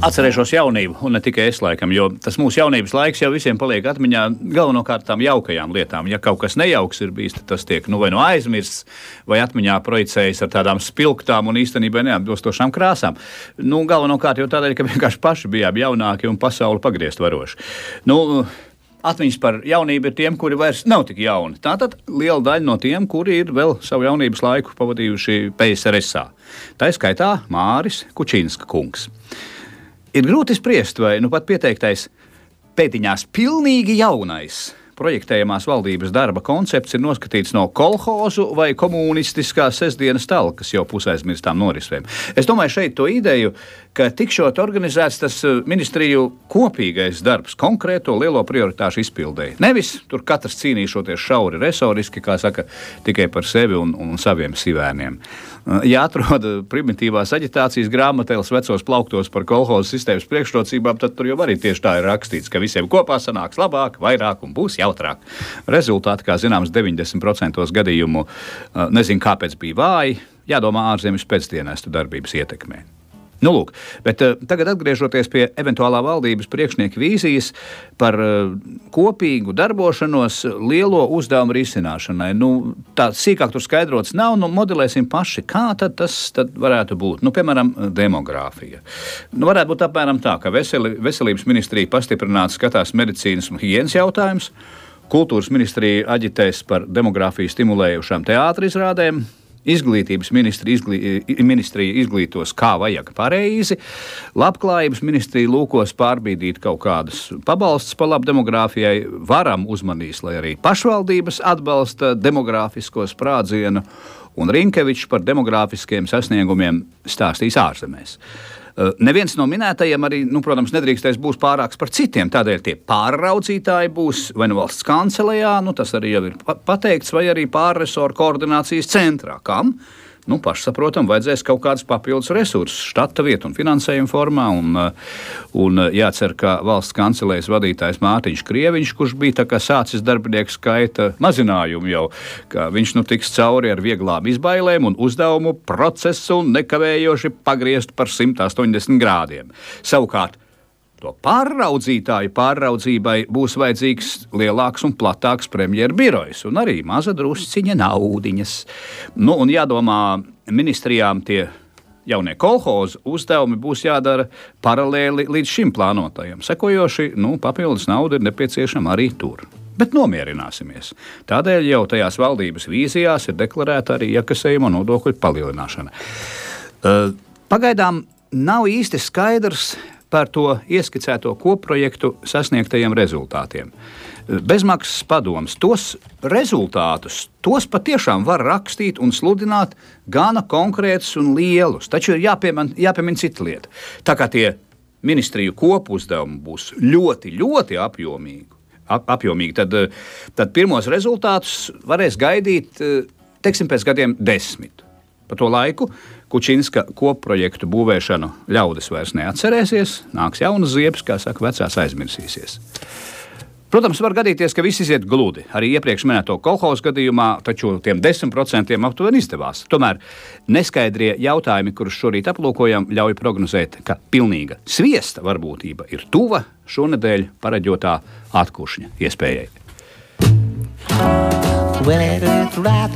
Atcerēšos jaunību, un ne tikai es laikam, jo tas mūsu jaunības laiks jau visiem paliek atmiņā galvenokārt tām jaukajām lietām. Ja kaut kas nejauks ir bijis, tad tas tiek vai no aizmirsts, vai atmiņā projicējas ar tādām spilgtām un īstenībā neatbilstošām krāsām. Galvenokārt jau tādēļ, ka vienkārši paši bijām jaunāki un pasauli pagriezt varoši. Atmiņas par jaunību ir tiem, kuri vairs nav tik jauni. Tātad liela daļa no tiem, kuri ir vēl savu jaunības laiku pavadījuši PSRS-ā. Tā skaitā Māris Kučinska kungs. Ir grūti spriest, vai pat pieteiktais pēdiņās pilnīgi jaunais projektējamās valdības darba koncepts ir noskatīts no kolhozu vai komunistiskās sestdienas talkas jau pusaizmirstām norisvēm. Es domāju šeit to ideju, ka tikšot organizēts tas ministriju kopīgais darbs konkrēto lielo prioritāšu izpildēji. Nevis tur katrs cīnīšoties šauri resoriski, kā saka, tikai par sevi un saviem sivēniem. Ja atrod primitīvās aģitācijas grāmatēles vecos plauktos par kolhozu sistēmas priekšrocībām, tad tur jau arī tieši tā ir rakstīts, ka visiem kopā sanāks labāk, vairāk un būs jautrāk. Rezultāti, kā zināms, 90% gadījumu nezinu, kāpēc bija vāji, jādomā ārzemes pēcdienestu darbības ietekmē. Bet tagad atgriežoties pie eventuālā valdības priekšnieka vīzijas par kopīgu darbošanos lielo uzdevumu risināšanai. Tā sīkāk tur skaidrots nav, modelēsim paši, kā tad tas varētu būt. Piemēram, demogrāfija. Varētu būt apmēram tā, ka veselības ministrija pastiprināti skatās medicīnas un higienas jautājumus, kultūras ministrija aģitēs par demogrāfiju stimulējušām teātra izrādēm, Izglītības ministrija izglītos, kā vajag pareizi, labklājības ministrija lūkos pārbīdīt kaut kādus pabalstus pa labu demogrāfijai, varam uzmanīs, lai arī pašvaldības atbalsta demogrāfisko sprādzienu, un Rinkevičs par demogrāfiskiem sasniegumiem stāstīs ārzemēs. Neviens no minētajiem arī, protams, nedrīkstēs būs pārāks par citiem, tādēļ tie pārraudzītāji būs vai valsts kancelejā, tas arī jau ir pateikts, vai arī pārresoru koordinācijas centrā. Kam? Pašsaprotam, vajadzēs kaut kādas papildus resursus, štata vietu un finansējumu formā, un jācer, ka valsts kancelējas vadītājs Mārtiņš Krieviņš, kurš bija tā kā sācis darbinieku skaita mazinājumu jau, ka viņš tiks cauri ar vieglām izbailēm un uzdevumu procesu un nekavējoši pagriezt par 180 grādiem. Savukārt, to pārraudzītāju pārraudzībai būs vajadzīgs lielāks un platāks premjeru birojs un arī maza drusciņa naudiņas. Un jādomā, ministrijām tie jaunie kolhozu uzdevumi būs jādara paralēli līdz šim plānotajam. Sekojoši, papildus nauda ir nepieciešama arī tur. Bet nomierināsimies. Tādēļ jau tajās valdības vīzijās ir deklarēta arī iekasējuma nodokļu palielināšana. Pagaidām nav īsti skaidrs par to ieskicēto kopprojektu sasniegtajiem rezultātiem. Bezmaksas padoms, tos rezultātus, tos patiešām var rakstīt un sludināt gana konkrētus un lielus, taču ir jāpiemina cita lieta. Tā kā tie ministriju kopuzdevumi būs ļoti, ļoti apjomīgi, tad pirmos rezultātus varēs gaidīt, pēc gadiem 10. Pa to laiku Kučinska kopprojektu būvēšanu ļaudis vairs neatcerēsies, nāks jaunas ziepes, kā saka, vecās aizmirsīsies. Protams, var gadīties, ka viss iziet gludi. Arī iepriekš minēto kolhozu gadījumā, taču tiem 10% aptuveni izdevās. Tomēr neskaidrie jautājumi, kurus šorīt aplūkojam, ļauj prognozēt, ka pilnīga sviesta varbūtība ir tuva šonedēļ pareģotā atkušņa iespējai. Well, it's right,